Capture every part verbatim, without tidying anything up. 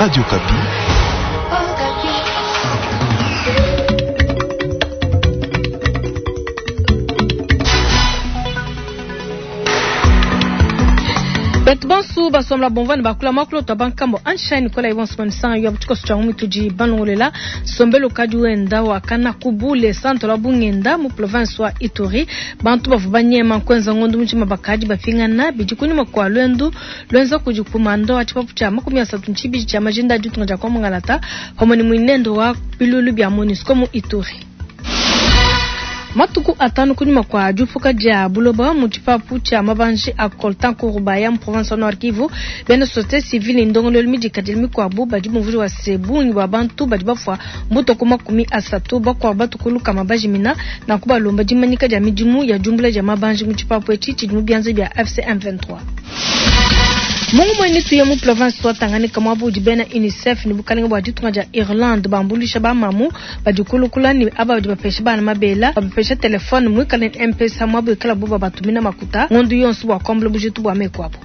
Radio Okapi. Betu bonso basomla bomvani bakula makulu twa bankambo Einstein kola ibonso manisanga yo butiko tshia mutudi banongolela sombelo kadi wenda wakana kubule santo la bungenda mu province wa Ituri bantu bavu banyema kwenza ngondo muchima bakadi bapingana bidi kunyuma kwa lwendu lwenza kudi kumando wa chipapu cha makumi asatu nchibi cha majinda ditunga dia kwa mungalata pamwe ni mwinendo wa bilulu bya MONUSCO mu Ituri. Matuku atano kunyuma kwa diupuka dia buloba mu tshipapu tshia mabanji a coltan Kurubaya mu province wa Nord Kivu bena société civile ndongolelo midikadile mikuabu badi muvuli wa sebungi bwa bantu badi bafua mbuto ku makumi asatu bakuabu batukuluka bajimina na kubalomba dimanyika dia midimu ya diumbula dia mabanji mu tshipapu etshi tshidi mu bianza bia A F C M vingt-trois. Mungu mwene tuye mu province wa Tanganyika mwabu udi bena UNICEF ni bukalenga bwa ditunga dia Irlande bambulisha ba mamu badikulukula ni aba badi bapesha bana mabela bapesha telefone mwikale ni M-Pesa mwabu ikala buba batumina makuta ngondu yonso bwa kwambula bujitu bwa mekwabo.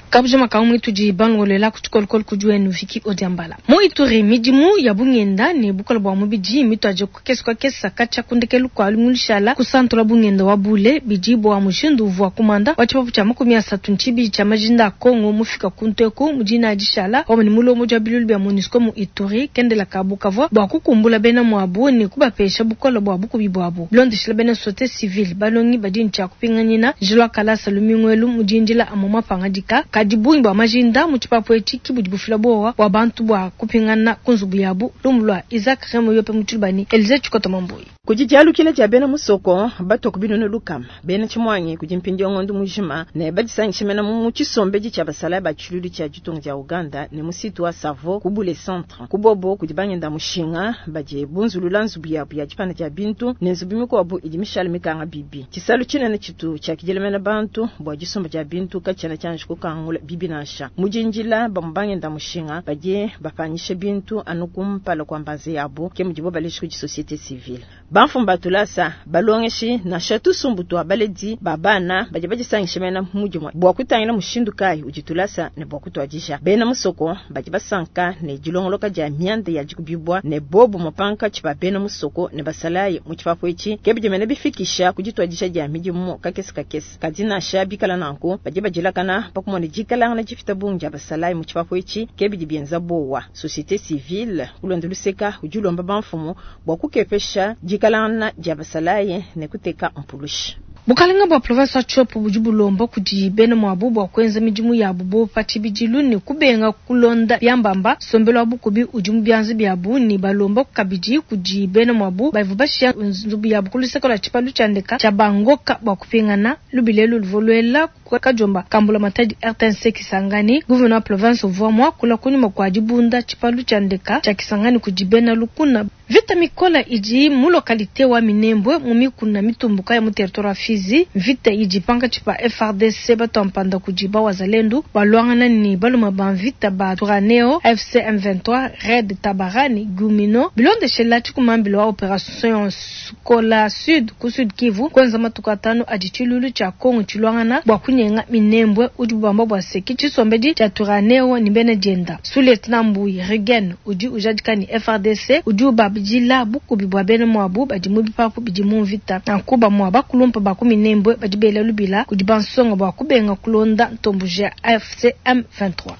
Kabuja makamu mwitu di bangolela kutukolokolo kujuenu viki odiambala. Mu Ituri midimu ya bungenda ne bukola bwa mubidi mitu aje kukesa kwa kesa kacha kundekelu kwa lumushala kusantola bungenda wa bule bidi bwa mushindu uvua kumanda wa chipapu cha makumi asatu nchibi cha majinda Kongo mufika kunteku mujina adishala wa ni mulomo ja bilulu bya MONUSCO mu Ituri kendela kabu kavwa bwa kukumbula bena mwabu ne kubapesha bukola bwa bukubi bwabu. Blondishila bena société civile balongi badi ncha kupinganyina jilwa kalasa lumingwelu mujindila amoma pangadika kadibungi bwa majinda mu tshipapu etshi kibudi bufila bowa bwa bantu bwa kupingana kunzubu yabu lumulwa Isaac Remo yope mutulubani Elize Chikoto Mambuyi. Kujijalukile ja bena musoko bato kubinunu lukama bena chimwanyi kujimpindia ngondo mujima ne badisangisha mena mu chisombeji cha basala ba chilulu cha jitunga ja Uganda ne musitu wa Savo kubule centre kubobo kujibangenda mushinga baje bunzulula nzubu yabu ya chipanda cha bintu ne nzubu mikuabu idimishal mikanga bibi chisalu chinene chitu cha kijelemena bantu bwa jisomba ja bintu kachana chanje kukangula bibi nasha mujinjila bamubangenda mushinga baje bapanyishe bintu anukumpala kwa mbaze yabo ke mujibo baleshi ku société civile bamfumba tulasa balongeshi na shatu sumbutu abaledi babana baje bajisangisha mena mujimwa bwa kutangila mushindu kai ujitulasa ne bwa kutwajisha bena musoko baje basanka ne jilongoloka ja myande ya jikubibwa ne bobo mupanka chiba bena musoko ne basalaye mu chipapo ichi kebije mena bifikisha kujitwajisha ja mijimu kakesi kakesi kadina shabikala nanko baje bajilakana pakumone jikala na jifita bunja basalaye mu chipapo ichi kebije bienza bowa société civile kulonda luseka ujulomba bamfumu bwa kukepesha jikalana jabasalaye ne kuteka mpulushi. Bukalenga bwa province wa Tshopo budi bulomba kudi bena mwabu bwa kwenza midimu yabu bo patshibidilu ne kubenga kulonda byambamba sombelo wa bukubi udi mu byanza byabu ne balomba kabidi kudi bena mwabu baivu bashia nzubu yabu kuluseka lwa tshipalu tshiandeka tshia bangoka bwa kupingana lubilelu luvolwela kajomba kambula matadi R T N C Kisangani gouverneur wa province uvua mwakula kunyuma kwa dibunda tshipalu tshiandeka tshia Kisangani kudi bena lukuna. Vita mikola idi mu localité wa Minembwe mu mikuna mitumbuka ya mu territoire wa Fizi. Vita idi panga tshipa F R D C batompanda kujiba wazalendu balwangana ni baluma ba vita ba Turaneo F C M vingt-trois Red Tabarani Gumino bilondeshela tshikumambilo wa opération Sukola Sud ku Sud Kivu kwenza matuku atano adi tshilulu tshia Kongo tshilwangana bwa kunyenga Minembwe udi bubamba bwa seki tshisombedi tshia Turaneo ni bene dienda Sous-lieutenant Mbuyi Regen udi ujadika ni F R D C udi ubabidila bukubi bwa bene mwabu badi mu bipapu bidi mu mvita na nkuba mwa bakulumpa ba ku Minembwe badi bela lubila kudi bansonga bwa kubenga kulonda ntombuja F C M vingt-trois.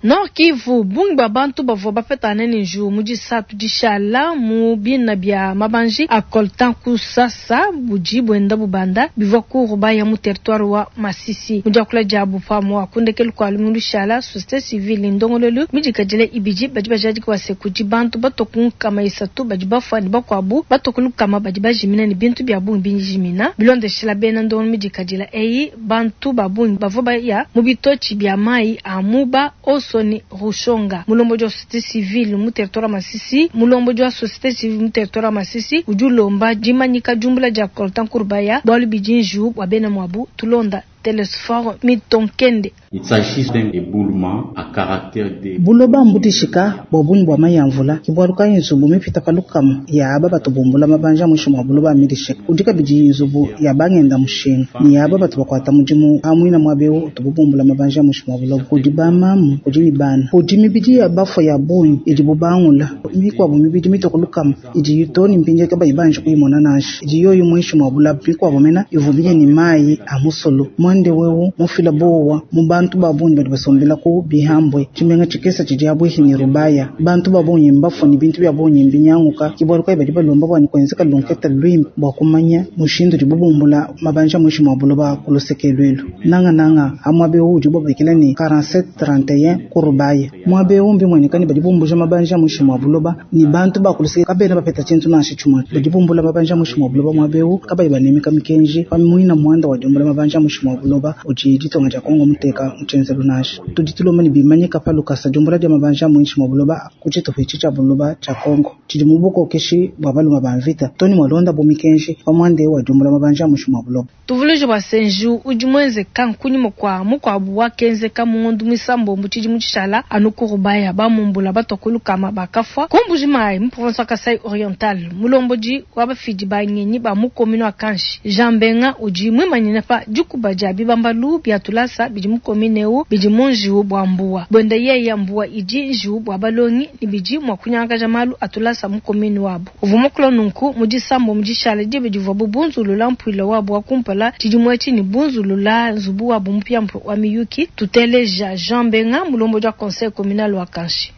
Nord Kivu bungi bwa bantu bavua bapetana ne nju mu disatu dishala mu bina bya mabanji a coltan kusasa budi bwenda bubanda bivua kuruba ya mu territoire wa Masisi mu diakula dia bupamua kundekelu kwa lumu lushala société civile ndongolelu midikadile ibidi badi bajadika base kudi bantu batokunkama isatu badi bafua ne bakuabu batokulukama badi bajimina ne bintu bya bungi binjimina bilondeshela bena ndongolo midikadila eyi bantu babungi bavua baya mu bitochi bya mai a muba oso Soni Rushonga mulombo wa société civile mu territoire Masisi mulombo wa société civile mu territoire Masisi udi ulomba dimanyika jumbula dia coltan Kurbaya bwalu bidinju bwa bena mwabu tulonda Telesphore Mitonkende. Buloba mbudishika bua bungi bua mayi a mvula ke bualu kayi nzubu mipita pa lukama ya aba batu bumbula mabanja muinshi mua buloba midishika kudi kabidi nzubu ya bangenda mushinga ne ya aba batu bakuata mudimu amuina muaba eu utubu bumbula mabanja muinshi mua buloba kudi bamamu kudi ne bana kudi mibidi ya bafua ya bungi idi bubangula mikuabu mibidi mitue lukama idi too ne mpindieu kabayi banji kuyimona nansha idi yoyo muinshi mua bulaba mikuabu mena ivumbiye ne mayi a musulu mwande wewu mufila bowa mu bantu ba bungi badi basombela ku bihambwe tshimenga tshikesa tshidi abuihi ne rubaya bantu ba bungi mbafua ne bintu bia bungi mbinyanguka ke bualu kayi badi balomba bua ne kuenzeka lunketa luimpe bua kumanya mushindu udi bubumbula mabanja muinshi mua buloba ku luseke luelu nangananga amuaba eu udi babikila ne quarante-sept trente et un ku rubaya muaba eu mbimueneka ne badi bumbuja mabanja muinshi mua buloba ne bantu ba ku luseke kabena bapeta tshintu nansha tshimue badi bumbula mabanja muinshi mua buloba muaba eu kabayi banemeka mikenji pa muina muanda wa diumbula mabanja muinshi mua buloba udi ditonga dia Kongo muteka mu tshienzelu nansha tudi tulomba ne bimanyika pa lukasa diumbula dia mabanja muinshi mua buloba ku tshitupa etshi tshia buloba tshia Kongo tshidi mu bukokeshi bua baluma ba mvita toni mwalonda bu mikenji pa muanda eu wa diumbula mabanja muinshi mua buloba. Tuvuluije bua senju udi muenzeka nkunyima kua mukuabu wakenzeka mu ngondo muisambombo tshidimu tshishala anu ku Rubaya bamumbula batua ku lukama bakafua ku Mbuji-Mayi mu province wa Kasai Oriental mulombodi wa bafidi ba ngenyi ba mu commune wa Kanshi Jean Benga udi muimanyine pa dikuba dia bibambalu bia tulasa bidi mu commune eu bidi mu njiwu bua mbuwa bwenda yeya mbuwa idi njiwu bua balongi ne bidi mua kunyangakaja malu a tulasa mu commune wabu uvua mukula nunku mu disambo mu dishala dibe divua bubunzulula mpuila wabu wa kumpala tshidimu etshi ne bunzulula nzubu wabu mupiamupia wa miyuki tuteleja Jean Benga mulombodi wa conseil communal wa Kanshi.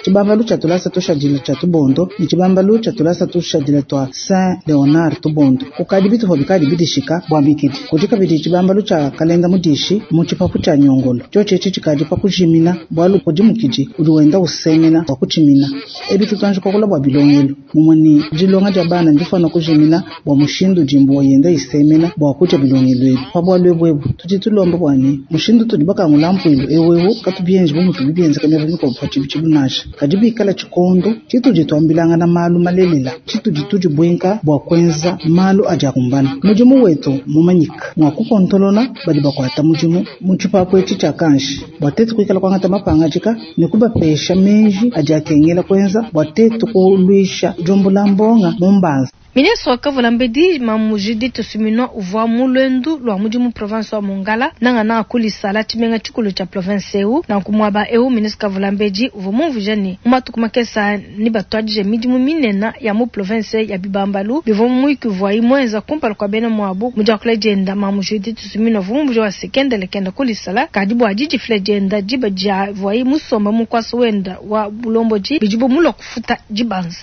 Tshibambalu tshia tulasa tushadila tshia Tubondo ne tshibambalu tshia tulasa tushadila tua Saint Leonard Tubondo kukadi bitupa bikadi bidishika bua mikidi kudi kabidi tshibambalu tshia kalenda mudishi mu tshipapu tshia nyongolo tshiotshi etshi tshikadi pa kujimina bualu kudi mukidi udi wenda usemena bua kutshimina ebi tutanji kuakula bua bilongelo mumue ne dilonga dia bana ndifana kujimina bua mushindu dimbu yenda isemena bua kudia bilongelo ebi pa bualu ebu ebu tudi tulomba bua ne mushindu tudi bakangula mpuilu ewu ewu katubienji bu mutu bibienzeka miaba mikuabu pa tshibi nansha kadi bikala tshikondo tshitudi tuambilangana malu malelela tshitudi tudibwenka bua kuenza malu adi akumbana mudimu wetu mumanyika mua kukontolola badi bakuata mudimu mu tshipapu etshi tshia Kanshi bua tetu kuikala kuangata mapangadika ne kubapesha menji adi akengela kuenza bua tetu kuluisha diumbula mbonga mu mbanza. Ministre wa Kavula Mbedi Mamu Judith Suminwa uvua mu lwendu lwa mudimu province wa Mongala nanga na kulisala tshimenga tshikulu tshia province eu na kumwaba eu ministre Kavula Mbedi uvua mumvuija ne mu matuku makesa ni batuadije midimu minena ya mu province ya Bibambalu bivua muyuki uvua imwenza kumpala kua bena muabu mu diakula dienda Mamu Judith Suminwa uvua mumvuija wa sekendele kenda kulisala kadi bua didifila dienda diba dia vuayi musomba mu nkuasa wenda wa bulombodi bidi bumulua kufuta dibanza.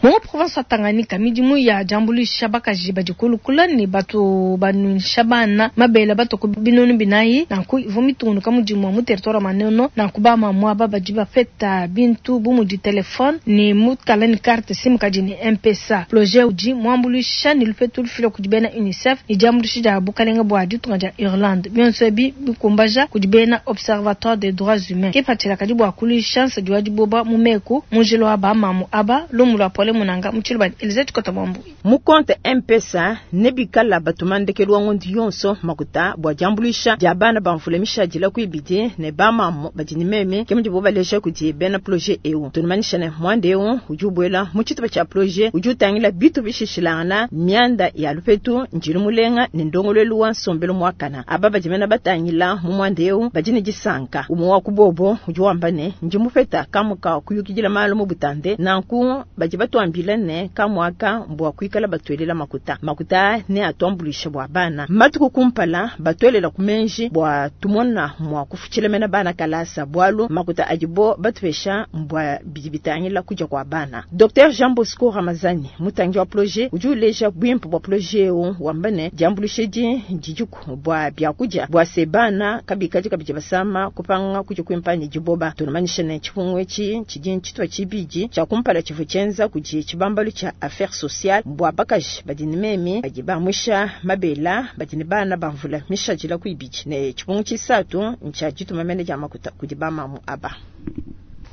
Mu province wa Tanganyika midimu ya diambuluisha bakaji badi kulukula ne batu banuisha bana mabele batu ku binunu binayi nanku ivua mitungunuka mudimu wa mu territoire Manono nanku bamamu aba badi bapeta bintu bu mudi telefone ne mukala ne carte SIM kadi ne M-Pesa projet udi muambuluisha ne lupetu lufila kudi bena UNICEF ne diambuluisha dia bukalenga bua ditunga dia Irlande bionso ebi bikumbaja kudi bena Observatoire des droits humains kipatshila kadi bua kuluisha nsadi wa diboba mu meku mu njila wa bamamu aba lumu lua pole munanga muchilu Elizabeth Kota Mwambu mu compte M-Pesa nebikala batumandekelu wa ngondo yonso makuta bua diambuluisha dia bana bamvula mishadila kuibidi ne bamamu badi ne meme ke mudibo balesha kudi bena projet eu tunumanyisha ne mwande eu udi ubuela mu tshitupa tshia projet udi utangila bitu bishishilangana mianda ya lupetu njilu mulenga ne ndongolelu wa nsombelu muakana aba badi mena batangila mu mwande eu badi ne disanka umwe wa kubobo udi wamba ne ndi mupeta kamuka kuyukidila malu mu butande nanku badi batuambila ne kamwaka mbwa kuikala batuelela makuta makuta ne atuambulisha bua bana matuku kumpala batuelela kumenji bua tumona mwa kufuchila mena bana kalasa bwalu makuta adibo batupesha mbwa bidibitangila kuja kwa bana. Docteur Jean Bosco Ramazani mutangi wa projet udi uleja bwimpe bwa projet eu wambane diambulishe di dijuku bwa byakuja bwa sebana kabikaji kabije basama kupanga kuja kwimpani diboba tunamanyisha ne chifungo echi chidi chitwa chibiji cha kumpala chifu chenza kuji chibambalu cha affaires sociales bwa bakaji badi ne meme badi bamwisha mabela badi ne bana bamvula mishajila kuibiji ne chifungo chisatu ncha jituma mene ja makuta kudi bamamu aba.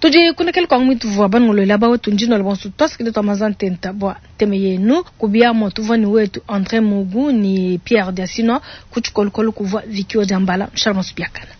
Tudi kundekela kwangu mituvua banongolola bawetu ndino la bonso twasikile twa mazantenta bwa teme yenu kubiamo tuvua ni wetu André Mugu ni Pierre Diasino kuchikolokolo kuvua Vikio Jambala mshalama subiakana.